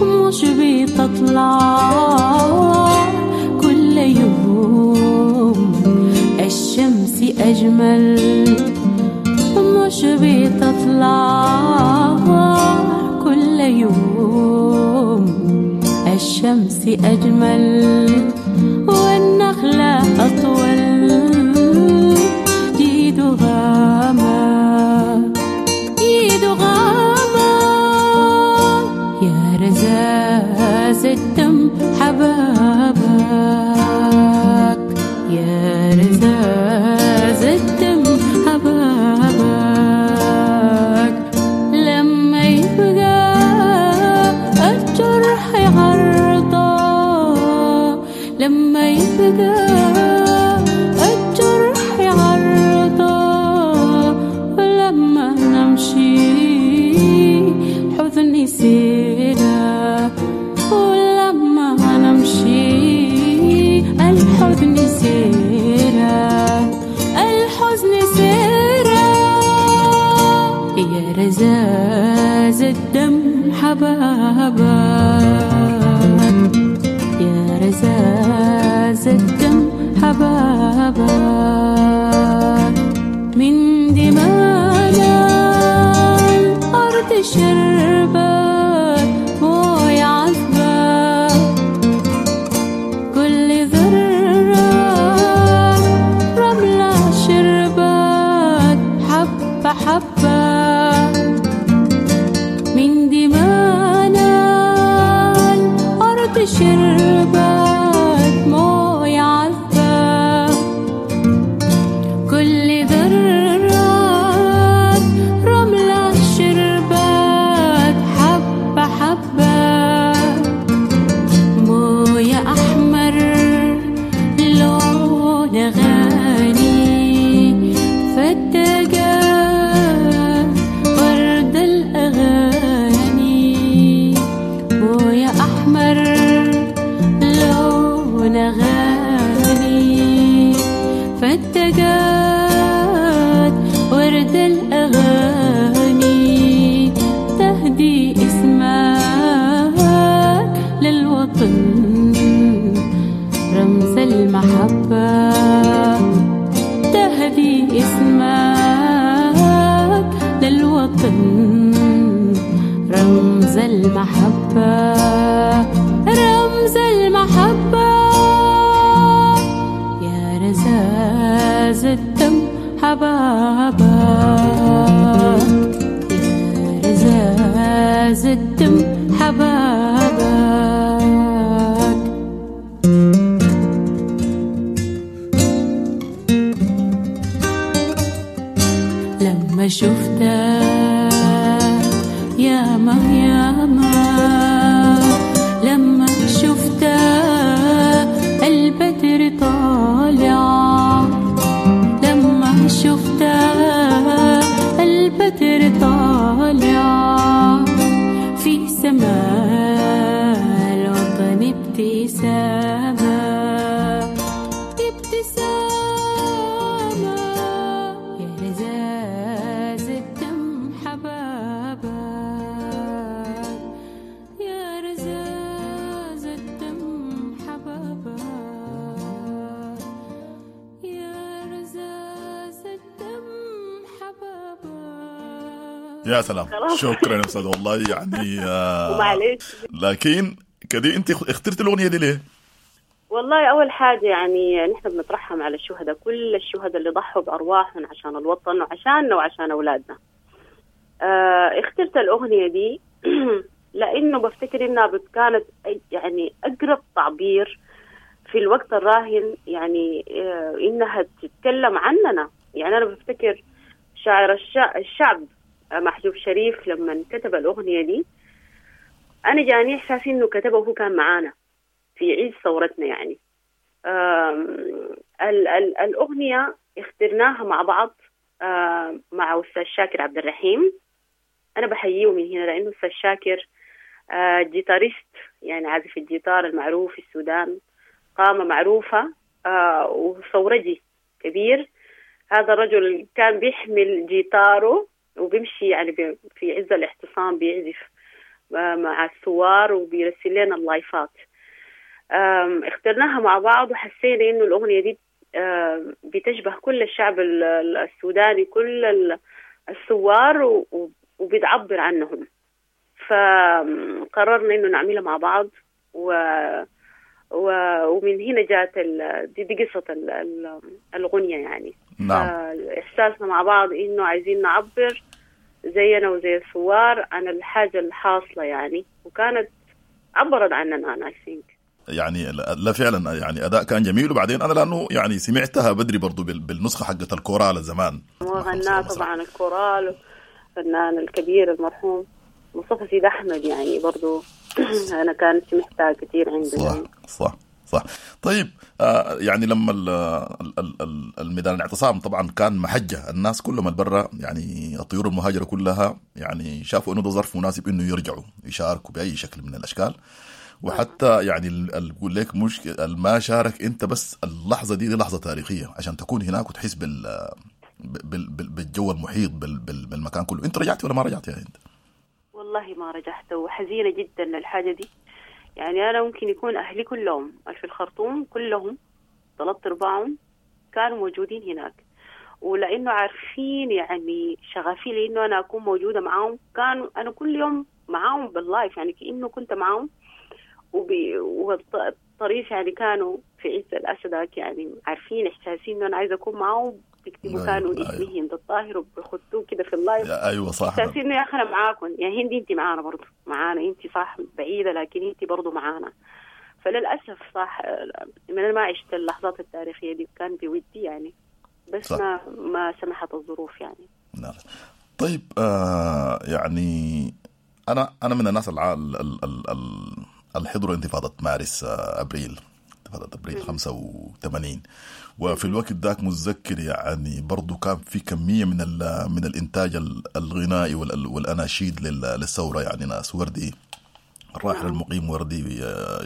مش بتطلع كل يوم الشمس أجمل، مش بتطلع كل يوم الشمس أجمل، والنخلة أطول جيد غامة جيد غامة يا رزاز الدم حبابك، يا رزاز الدم حبابك. لما يبقى الجرح عرضة، لما يبقى الجرح عرضة، ولما نمشي حزن سيرة، ولما نمشي الحزن سيرة، الحزن سيرة يا رزاز الدم حبابك، يا رزاز الدم حبابك. من دمانا الأرض شربت موية عذبة، كل ذرة رملة شربت حبة حبة. من دمانا الأرض شربت موية عذبة، كل ذرة رملة شربت حبة حبة. موية أحمر لون غالي فتقى ورد الأغاني، موية أحمر لون غالي فتقات ورد الأغاني، تهدي اسمك للوطن رمز المحبة، تهدي اسمك للوطن رمز المحبة، رمز المحبة يا رزاز الدم حبابك، يا رزاز الدم حبابك. لما شفتك يا ما يا ما، لما شفتك البدر طالع، لما شفتك البدر طالع في سماء الوطن ابتسامة ابتسامة يا رزاز الدم يا سلام، خلاص. شكرا يا استاذ والله يعني آه ومعلش. لكن كدي انت اخترت الاغنية دي ليه؟ والله أول حاجة يعني نحن بنترحم على الشهداء، كل الشهداء اللي ضحوا بأرواحهم عشان الوطن وعشاننا وعشان أولادنا. آه اخترت الأغنية دي لأنه بفتكر إنها بت- كانت أي- يعني أقرب تعبير في الوقت الراهن، يعني آه إنها تتكلم عننا. يعني أنا بفتكر شاعر الشع- الشعب آه، محجوب شريف لما كتب الأغنية دي أنا جاني إحساس إنه كتبه وهو كان معانا في عيد ثورتنا يعني. آم، ال ال الأغنية اخترناها مع بعض آم، مع أستاذ شاكر عبد الرحيم. أنا بحييه من هنا لأنه أستاذ شاكر آه، guitarist، يعني عازف الجيتار المعروف في السودان، قامة معروفة آه، وثورجي كبير. هذا الرجل كان بيحمل جيتاره وبيمشي يعني بي- في عز الاعتصام بيعزف آه، مع الثوار وبيرسل لنا اللايفات. آم، اخترناها مع بعض وحسينا انه الاغنية دي آم، بتشبه كل الشعب ال- ال- السوداني، كل ال- الثوار و- و- وبتعبر عنهم. فقررنا انه نعملها مع بعض و و ومن هنا جات ال... دي, دي قصة ال... ال- الغنية يعني. نعم. احساسنا مع بعض انه عايزين نعبر زينا وزي الثوار عن الحاجة الحاصلة يعني، وكانت عبرت عننا انا I think. يعني لا لا فعلا يعني اداء كان جميل. وبعدين انا لانه يعني سمعتها بدري برضو بال- بالنسخة حقت الكورال زمان. وغناه طبعا الكورال الفنان الكبير المرحوم مصطفى سيد احمد، يعني برضو انا كان سمعتها كثير عنده صح يعني. صح صح. طيب آه يعني لما ال ال ال الميدان الاعتصام طبعا كان محجه، الناس كلهم البرة يعني الطيور المهاجره كلها يعني شافوا انه ده ظرف مناسب انه يرجعوا يشاركوا باي شكل من الاشكال. وحتى يعني ال- ال- بقول لك مش ما شارك انت بس اللحظة دي دي لحظة تاريخية عشان تكون هناك وتحس بال بال بال بالجو المحيط بال بال بالمكان كله. انت رجعت ولا ما رجعت يا هند؟ والله ما رجعت، وحزينة جدا للحاجة دي. يعني أنا ممكن يكون أهلي كلهم في الخرطوم كلهم ثلاث أرباعهم كانوا موجودين هناك، ولأنه عارفين يعني شغفي لأنه أنا أكون موجودة معاهم، كانوا أنا كل يوم معاهم بال live، يعني كأنه كنت معاهم. وبي والطريف يعني كانوا في عز الأسدك يعني عارفين إحساسي إنه أنا عايزة أكون معاهم، بيكتبوا أيوة، كانوا أيوة. اسمي هند الطاهر وبيخطوه كده في ال live. ايوه صح. احساسي انه يا اخي انا معاكم يا هندي، انت معانا برضه، معانا انت صح بعيدة لكن انت برضه معانا. فللاسف صح من انا ما عشت اللحظات التاريخية دي، كان بودي يعني بس صح. ما ما سمحت الظروف يعني. نعم. طيب آه يعني انا انا من الناس الع... ال... ال... ال... ال... اللي حضروا انتفاضة مارس آه ابريل، انتفاضة ابريل خمسة وثمانين، وفي الوقت ذاك متذكر يعني برضو كان في كمية من ال... من الانتاج ال- الغنائي وال... والاناشيد لل... للثورة. يعني ناس وردي الراحل المقيم وردي آه،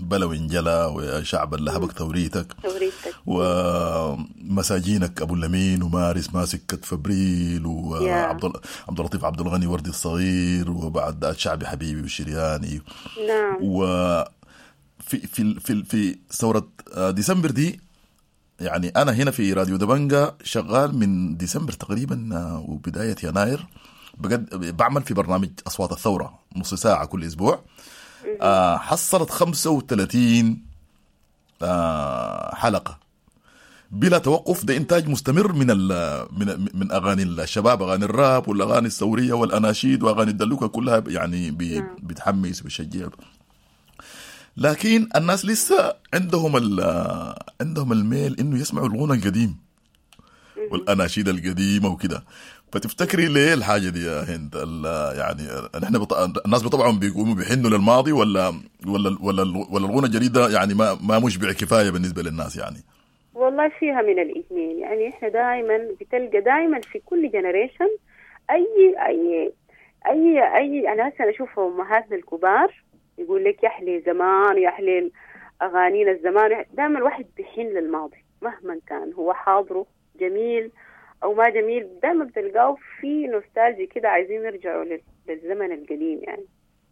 بلو انجلا ويا شعب اللي هبك ثوريتك ثوريتك ومساجينك ابو اللمين ومارس ماسك كتف ابريل وعبد ال- عبد اللطيف عبد الغني وردي الصغير وبعد شعبي حبيبي والشرياني. نعم. وفي في في في ثورة ديسمبر دي يعني انا هنا في راديو دبنجا شغال من ديسمبر تقريبا آه، وبداية يناير، بقد بعمل في برنامج اصوات الثورة نص ساعة كل اسبوع. آه، حصلت خمسة وثلاثين آه، حلقة بلا توقف. ده انتاج مستمر من ال من من اغاني الشباب، اغاني الراب والاغاني الثورية والاناشيد واغاني الدلوكه كلها يعني بي- بتحمس وبتشجع. لكن الناس لسه عندهم ال عندهم الميل انه يسمعوا الغنى القديم والاناشيد القديمة وكده. فتفتكري ليه الحاجة دي يا هند؟ ال- يعني نحن بط... الناس بطبعهم بيقوموا بيحنوا للماضي ولا ولا ولا ولا الغنى الجديد ده يعني ما ما مشبع كفاية بالنسبة للناس يعني؟ والله فيها من الاثنين يعني. احنا دائما بتلقى دائما في كل generation اي اي اي اي انا هسه اشوف امهاتنا الكبار يقول لك يا حلي زمان يا حلي اغانينا الزمان. دائما الواحد بيحن للماضي مهما كان هو حاضره جميل او ما جميل، دائما بتلقاه في نوستالجي كده، عايزين يرجعوا لل- للزمن القديم يعني.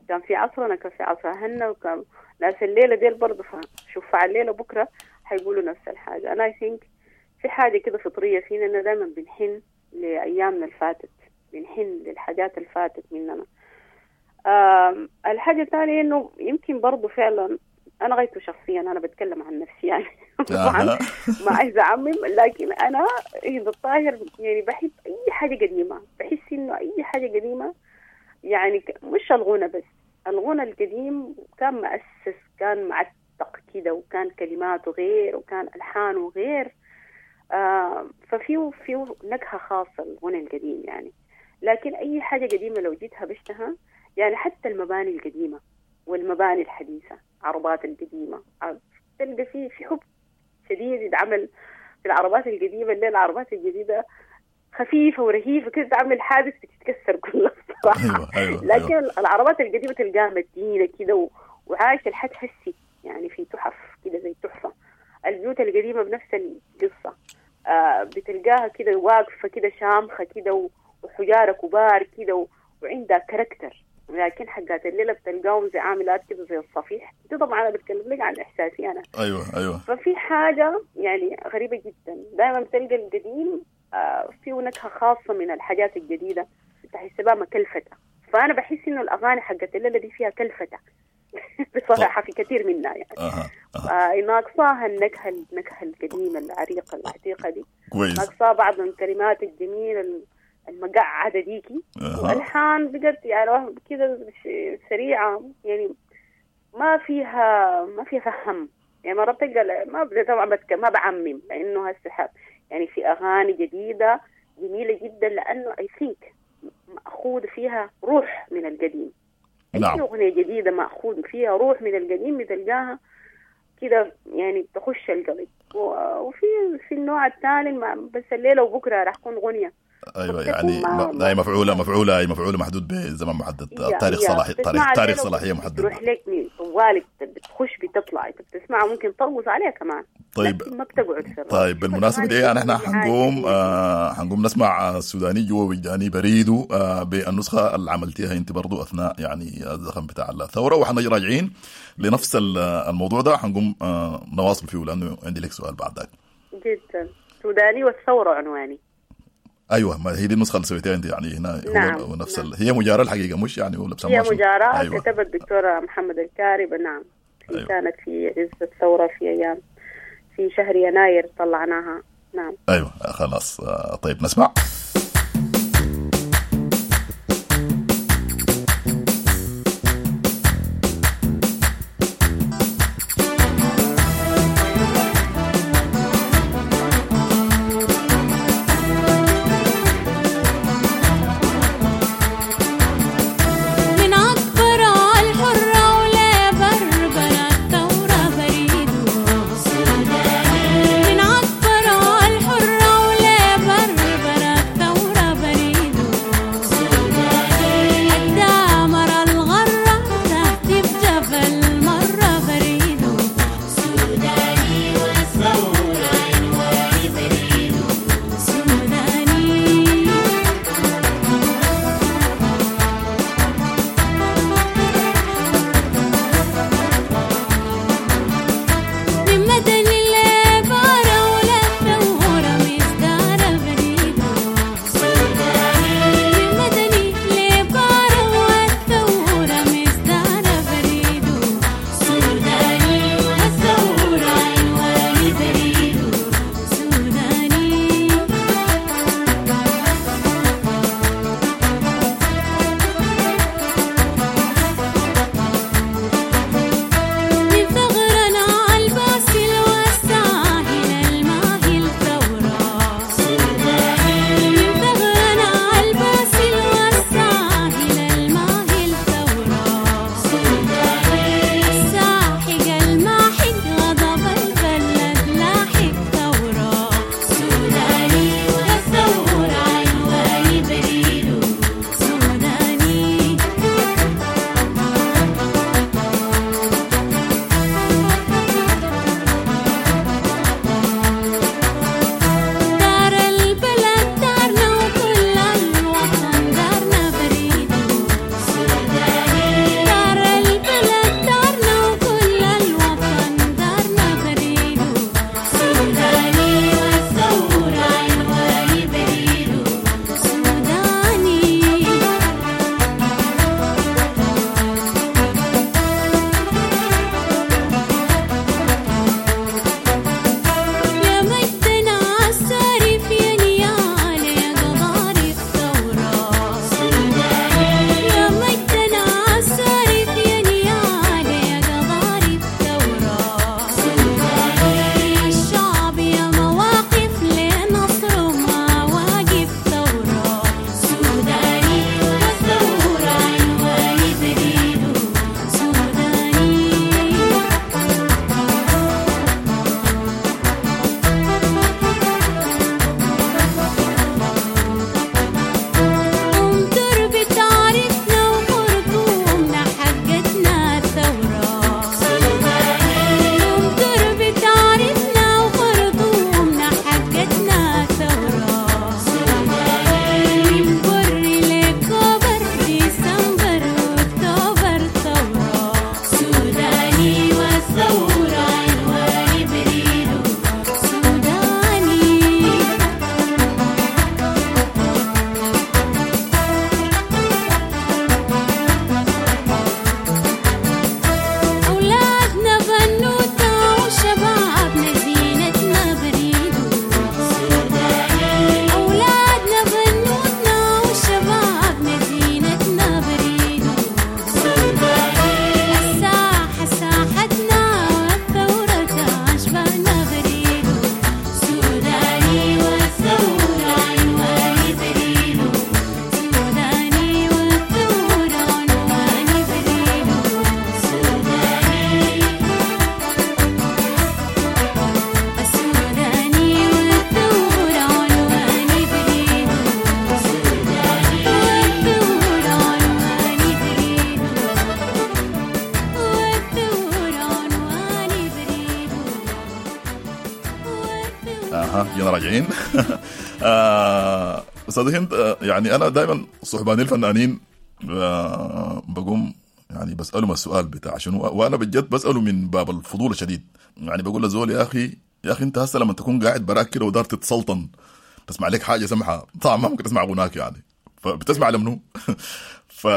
كان في عصرنا كان في عصر اهلنا، وكان ناس الليلة ديل برضه شوف على الليلة بكره حيقولوا نفس الحاجة. انا I think في حاجة كده فطرية فينا انه دائما بنحن لايامنا اللي فاتت، بنحن للحاجات اللي فاتت مننا. آه الحاجة الثانية إنه يمكن برضو فعلا أنا غايته شخصيا، أنا بتكلم عن نفسي يعني طبعا ما عايزة أعمم، لكن أنا هند الطاهر يعني بحب أي حاجة قديمة، بحس إنه أي حاجة قديمة يعني مش الغنى بس، الغنى القديم كان مؤسس، كان معتق كده، وكان كلماته غير وكان ألحانه غير، آه ففيه فيه نكهة خاصة الغنى القديم يعني. لكن أي حاجة قديمة لو جيت هبشتها يعني، حتى المباني القديمة والمباني الحديثة، عربات القديمة، تلقى فيه في حب شديد يتعمل في العربات القديمة، اللي العربات الجديدة خفيفة ورهيفة كده، تعمل حادث بتتكسر كلها الصراحة. أيوة أيوة لكن أيوة. العربات القديمة تلقاها مدينة كده و... وعايشة لحد حسي يعني، في تحف كده زي تحفة. البيوت القديمة بنفس القصة، آه بتلقاها كده واقفة كده شامخة كده و... وحجارة كبار كده و... وعندها character. لكن حقات الليلة بتلقاهم زي عاملات كده زي الصفيح دي. طبعا أنا بتكلم لك عن إحساسي أنا. أيوة أيوة. ففي حاجة يعني غريبة جدا، دائما بتلقى القديم آه فيه نكهة خاصة من الحاجات الجديدة، تحس بها مكلفتة. فأنا بحس إنه الأغاني حقت الليلة دي فيها كلفتة بصراحة، في كثير منها يعني. أه. أه. آه ناقصاها النكهة، النكهة القديمة العريقة العتيقة دي. كويس. ناقصاها بعض الكلمات الجميلة المقعدة ديكي. أه. والحان بقت يعني كده سريعة يعني، ما فيها ما فيها فهم يعني. مرة بتلقى ما طبعا ما بعمم، لأنه هسه يعني في أغاني جديدة جميلة جدا، لأنه I think مأخوذ فيها روح من القديم. نعم. أي أغنية جديدة مأخوذ فيها روح من القديم بتلقاها كده يعني تخش القلب. وفي في النوع الثاني بس الليلة وبكرة راح تكون غنية. ايوه يعني ما... هي مفعوله مفعوله هي مفعوله محدود بزمن محدد، تاريخ صلاحي، تاريخ تاريخ صلاحية محدد. تروح لك طوالك بتخش بتطلع، انت بتسمعها ممكن ترقص عليها كمان. طيب ما بتقعد في. طيب بالمناسبة دي نحن حنقوم آه حنقوم نسمع السوداني جوا وجداني بريدو آه بالنسخة اللي عملتيها انت برضو اثناء يعني الزخم بتاع الثورة، وحنجي راجعين لنفس الموضوع ده، حنقوم آه نواصل فيه لانه عندي لك سؤال بعد ذاك. جدا. سوداني والثورة عنواني. ايوه ما هي دي النسخة اللي سويتها انت يعني هنا. نعم. هو نفس نعم. ال... هي مجاراه الحقيقة، مش يعني ولا هي مجاراه. أيوة. كتبت الدكتورة محمد الكارب. نعم. أيوة. كانت في عز الثورة في ايام في شهر يناير طلعناها. نعم. ايوه خلاص. طيب نسمع. من عطبرة الحرة ولا بربرة. جينا راجعين. آه، استاذ هند، آه، يعني انا دائما صحباني الفنانين آه، بقوم يعني بسالهم السؤال بتاع شنو، وانا بجد بساله من باب الفضول الشديد. يعني بقول لزول يا اخي يا اخي انت هسه لما تكون قاعد براك كده ودار تتسلطن تسمع لك حاجة سمحه، طبعا ما ممكن تسمع غناك يعني، فبتسمع لمنو؟ ف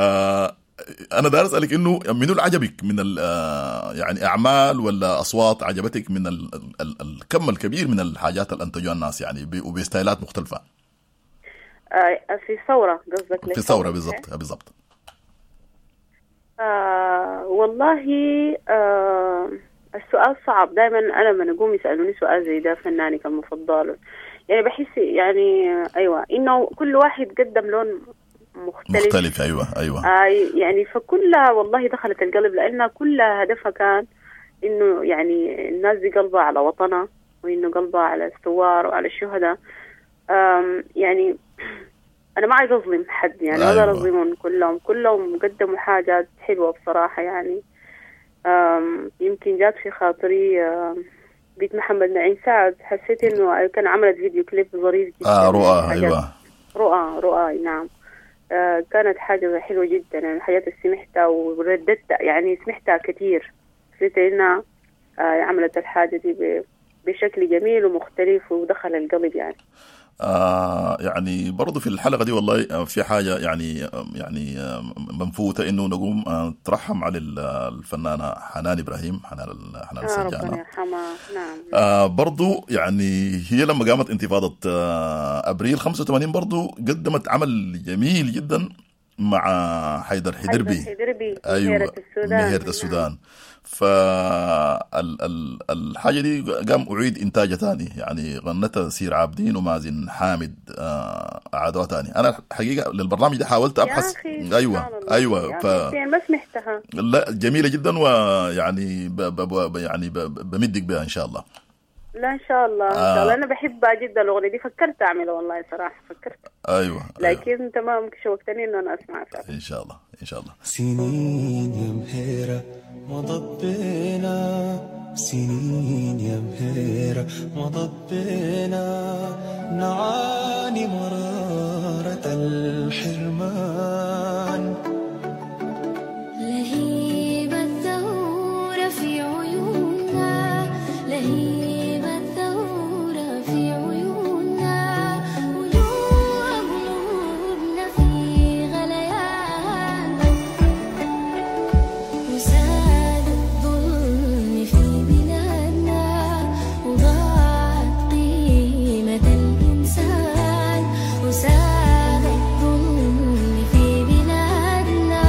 انا داير اسالك انه منو اللي عجبك من ال يعني اعمال ولا اصوات عجبتك من ال ال الكم الكبير من الحاجات اللي انتجوها الناس يعني ب- وبستايلات مختلفة؟ آه، في ثورة قصدك؟ في ثورة بالضبط بالضبط. آه والله آه السؤال صعب دائما. أنا لما أقوم يسألوني سؤال زي ده فنانك المفضل، يعني بحس يعني أيوة إنه كل واحد قدم لون مختلف مختلف ايوه ايوه آه يعني فكلها والله دخلت القلب، لأنها كلها هدفها كان إنه يعني الناس دي قلبها على وطنها، وإنه قلبها على الثوار وعلى الشهداء. آم، يعني أنا ما عايز أظلم حد يعني، ما أقدر أيوة. أظلمهم كلهم، كلهم قدموا حاجات حلوة بصراحة يعني. آم، يمكن جات في خاطري آم، بيت محمد نعيم سعد، حسيت إنه كان عملت فيديو كليب ظريف جدا. اه رؤى حاجات- ايوه رؤى رؤى نعم. آه كانت حاجة حلوة جدا يعني، الحاجات اللي سمعتها ورددتها يعني سمعتها كثير، حسيت إنها آه عملت الحاجة دي ب- بشكل جميل ومختلف ودخل القلب يعني. آه يعني برضو في الحلقة دي والله آه، في حاجة يعني آه، يعني آه، منفوتة إنه نقوم آه، نترحم على ال- الفنانة حنان إبراهيم، حنان ال- حنان آه ربنا السجانة. يرحمها نعم. آه برضو يعني هي لما قامت انتفاضة آه أبريل خمسة وثمانين برضو قدمت عمل جميل جدا مع حيدر حدربي. حيدربي ايوه مهيرة السودان. مهيرة السودان. فالحاجة دي قام أعيد إنتاجها تاني، يعني غنتها سير عابدين ومازن حامد آه، أعادوها تاني. أنا الحقيقة للبرنامج ده حاولت أبحث. يا أخي أيوة سبحان الله. أيوة يا ف أخي يعني ما سمعتها. لا جميلة جدا، ويعني ب ب ب يعني ب بمدك بها إن شاء الله. لا إن شاء الله إن شاء الله آه. أنا بحبها جدا الأغنية دي، فكرت أعملها والله صراحة فكرت، أيوة لكن تمام شوقتني إنه أنا أسمعها فعلا. إن شاء الله إن شاء الله. سنين يا مهيرة مضت بينا، سنين يا مهيرة مضت بينا، نعاني مرارة الحرمان. لهيب الثورة في عيوننا، لهيب الثورة في عيوننا، وجوه قلوبنا في غليان، وساد الظلم في بلادنا، وضاعت قيمة الإنسان، وساد الظلم في بلادنا،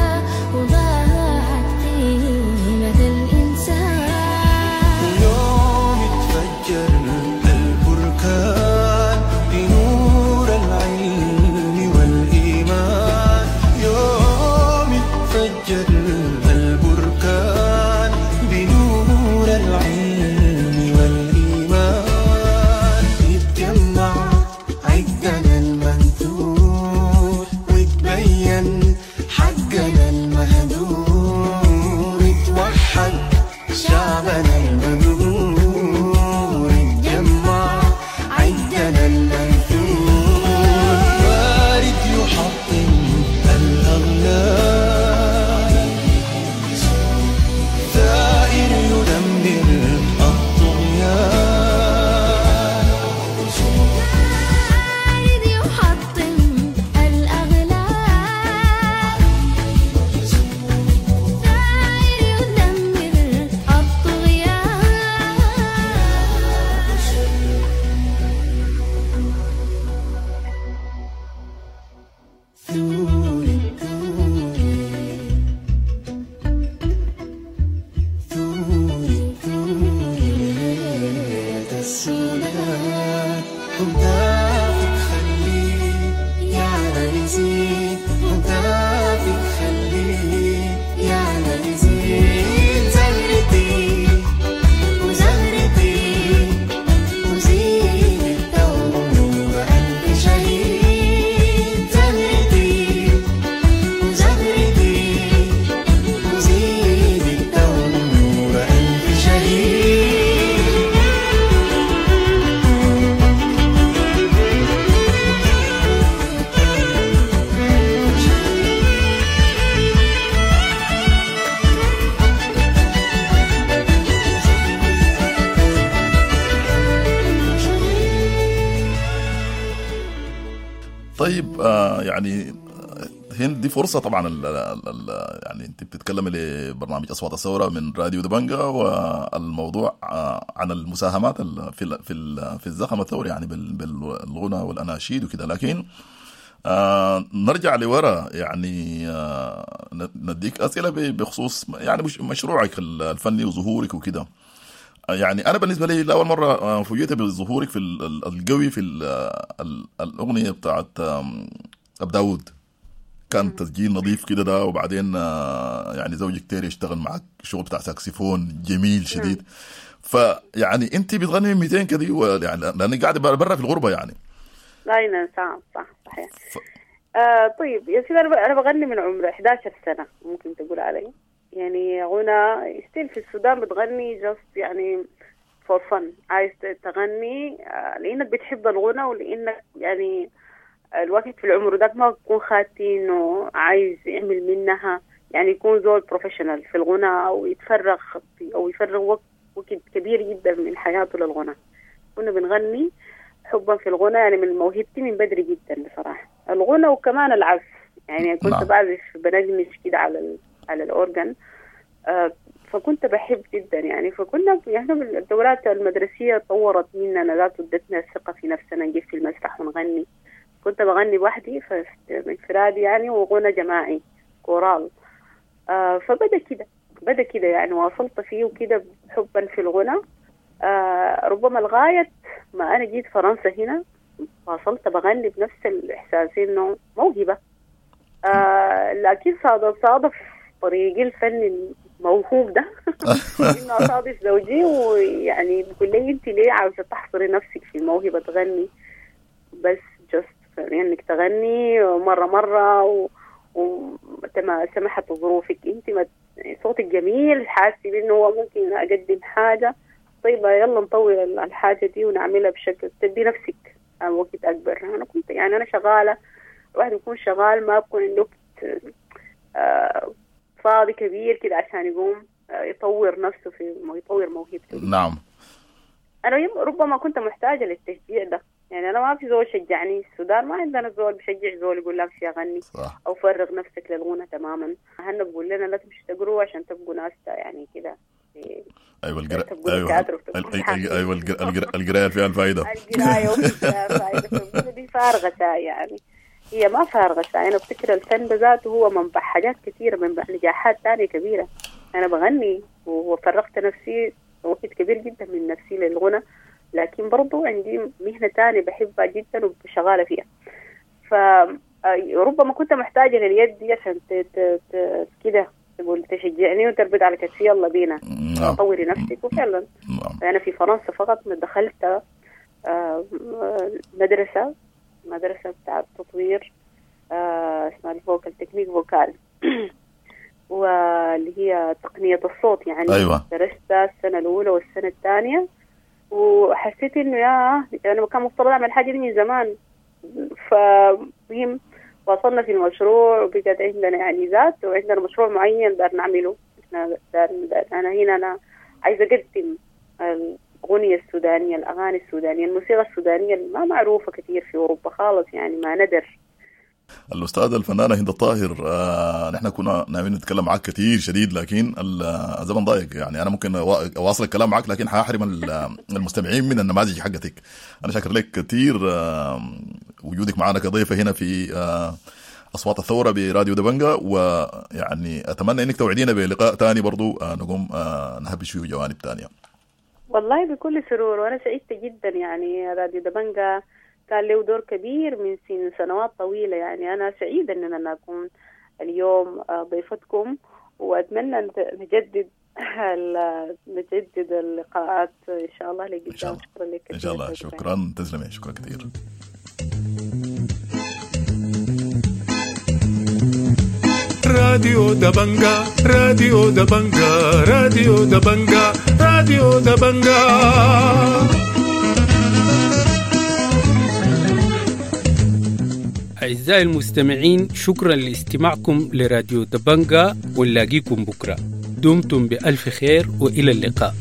وضاعت قيمة الإنسان. ويوم تفجر البركان بنور العلم والإيمان، يوم تفجر البركان بنور العلم والإيمان، يتجمع عدنا المنثور وتبين حقنا المهدور، اتوحد شعبنا المغرور، اتجمع عدنا المنثور، وارد يحطم الأغلال، ثائر يدمر الطغيان، بارد يحطم الأغلال، ثائر يدمر الطغيان. ثوري ثوري ثوري ثوري مهيرة السودان، هتافك خليه يعلى يزيد، هتافك خليه يعلى يزيد، زهرتي وزهرتي وزين الثورة ألف شهيد، زهرتي وزهرتي وزين الثورة ألف شهيد. طيب آه يعني هند دي فرصة طبعا ال ال ال يعني انت بتتكلمي لبرنامج اصوات الثورة من راديو دبنجا، والموضوع آه عن المساهمات في ال في ال في الزخم الثوري يعني بالغنى والاناشيد وكده. لكن آه نرجع لورا يعني آه نديك اسئلة بخصوص يعني مشروعك الفني وظهورك وكده. يعني انا بالنسبة لي لاول مرة فوجئت بظهورك في القوي في الاغنية بتاعت ابو داود، كان تسجيل نظيف كده ده، وبعدين يعني زوجك تيري اشتغل معك شغل بتاع ساكسفون جميل شديد. فيعني انت بتغني مئتين كده يعني لانك قاعدة برا في الغربة يعني. لا نعم صح صحيح. ف... آه طيب يا سيدي، انا بغني من عمر إحدى عشرة سنة ممكن تقول علي، يعني غنى still في السودان بتغني just يعني for fun، عايز تغني لانك بتحب الغنى ولانك يعني الوقت في العمر ده ما بكون خاتي انه عايز يعمل منها يعني يكون زول professional في الغنى او يتفرغ او يفرغ وقت وقت كبير جدا من حياته للغنى. كنا بنغني حبا في الغنى يعني من موهبتي من بدري جدا بصراحة الغنى، وكمان العزف يعني كنت نعم. بعزف بنجمش كده على ال... على الأورجن، آه فكنت بحب جدا يعني. فكنا يعني الدورات المدرسية طورت مننا ذات ادتنا الثقة في نفسنا نجي في المسرح ونغني. كنت بغني وحدي انفرادي يعني وغنى جماعي كورال، آه فبدأ كده بدأ كده يعني واصلت فيه وكده حبا في الغنى. آه ربما لغاية ما أنا جيت فرنسا هنا واصلت بغني بنفس الإحساس إنه موهبة، آه لكن صادف صادف طريقي الفني الموهوب ده إنه أصادف زوجي ويعني بيقول لي أنت ليه عاوزة تحصري نفسك في موهبة تغني بس just يعني إنك تغني مرة مرة و... وما سمحت ظروفك أنت ما صوتك جميل حاسة بإنه هو ممكن أقدم حاجة، طيب يلا نطور الحاجة دي ونعملها بشكل تدي نفسك وقت أكبر. أنا كنت يعني أنا شغالة، الواحد يكون شغال ما بكون عنده وقت آه فاضي كبير كده عشان يقوم آه يطور نفسه في يطور موهبته. نعم أنا ربما كنت محتاجة للتشجيع ده، يعني أنا ما في زول شجعني، السودان ما عندنا زول بشجع زول يقول لك امشي أغني أو فرغ نفسك للغنى تماما. هن بقول لنا لا تمشي تقروا عشان تبقوا ناس يعني كده. ايوه القراءة، ايوه ايوه القراية فيها الفائدة، القراية فيها الفائدة دي فارغة يعني، هي ما فارغة. انا بفتكر الفن بذاته هو منبع حاجات كثيرة، منبع نجاحات ثانية كبيرة. انا بغني وفرغت نفسي وقت كبير جدا من نفسي للغنى، لكن برضو عندي مهنة ثانية بحبها جدا وشغالة فيها. فربما كنت محتاجه لليد دي عشان كده تقول تشجعني وتربط على كتفي يلا بينا طوري نفسك. وفعلا أنا في فرنسا فقط دخلت مدرسة مدرسة بتاع التطوير اسمها ال vocal technique vocale واللي هي تقنية الصوت يعني. أيوة. درست السنة الأولى والسنة الثانية وحسيت إنه يا أنا كان مفترض أعمل حاجة دي من زمان. فمهم وصلنا في المشروع وبقت عندنا يعني ذات وعندنا مشروع معين دار نعمله. احنا دار دار أنا هنا أنا عايزة أقدم الأغنية السودانية، الأغاني السودانية، الموسيقى السودانية اللي ما معروفة كثير في أوروبا خالص يعني ما ندر. الأستاذة الفنانة هند الطاهر، آه نحن كنا ناويين نتكلم معك كثير شديد لكن الزمن ضايق، يعني أنا ممكن أواصل الكلام معك لكن حاحرم المستمعين من النماذج حقتك. أنا شاكر لك كثير آه وجودك معنا كضيفة هنا في آه أصوات الثورة براديو دبنجا، ويعني أتمنى إنك توعدينا بلقاء تاني برضو آه نقوم آه نهبش فيه جوانب تانية. والله بكل سرور، وأنا سعيدة جدا يعني راديو دبنجا كان له دور كبير من سن سنوات طويلة، يعني أنا سعيدة أن أنا أكون اليوم ضيفتكم، وأتمنى أن نجدد نجدد اللقاءات إن شاء الله لقدام. شكرا لك إن شاء الله. شكرا، تسلمي، شكرا كثير. راديو دبنجا، راديو دبنجا، راديو دبنجا، راديو دبنجا. أعزائي المستمعين، شكرا لاستماعكم لراديو دبنجا، ونلاقيكم بكرة. دمتم بألف خير وإلى اللقاء.